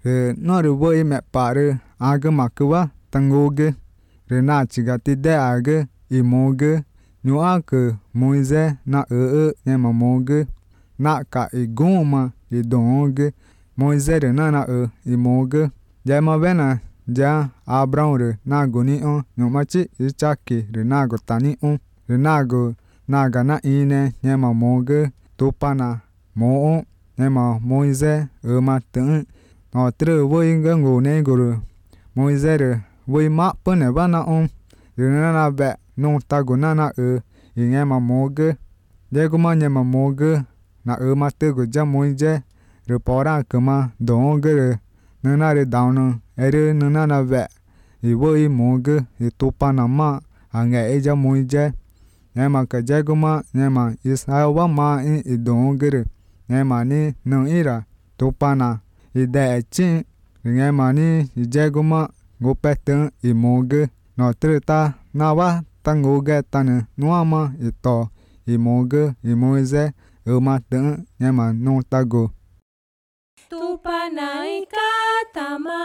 Rồi nó rồi với mẹ bà rồi cái mà cứ quá tăng ngô cái rồi na chỉ cái tí đẻ cái mô cái nhớ cái môi dê na nhưng mà mô cái na cả gom mà đông cái môi dê rồi na mô cái giờ mà bên à giờ Abraham rồi na goni nhớ mà chỉ chắc rồi na go tani rồi na cái na ine nhưng mà mô cái tu pa na mô nhưng mà môi dê mà tưởng họ trừ với cái ngô này rồi môi dê rồi với má bên này bạn na rồi na bẹ nông ta go na nghe mà mô cái giờ cũng mà nghe mà mô cái na mà tự go ra môi dê rồi bỏ ra cái mà đông cái rồi na rồi down rồi na bẹ với mô cái tu pa na mà nghe ra môi dê nghe mà cái giờ cũng mà nghe mà Israel wa mà đông cái rồi nghe mà ni nông ira tu pa na đại chính nghe mà ni giờ cũng mà ngô bẹ tưởng mô cái nó tự ta na wa ta ngô cái ta nè nó mà to mô cái mô dê mà tưởng nhưng mà nông ta go tu pa na ikatama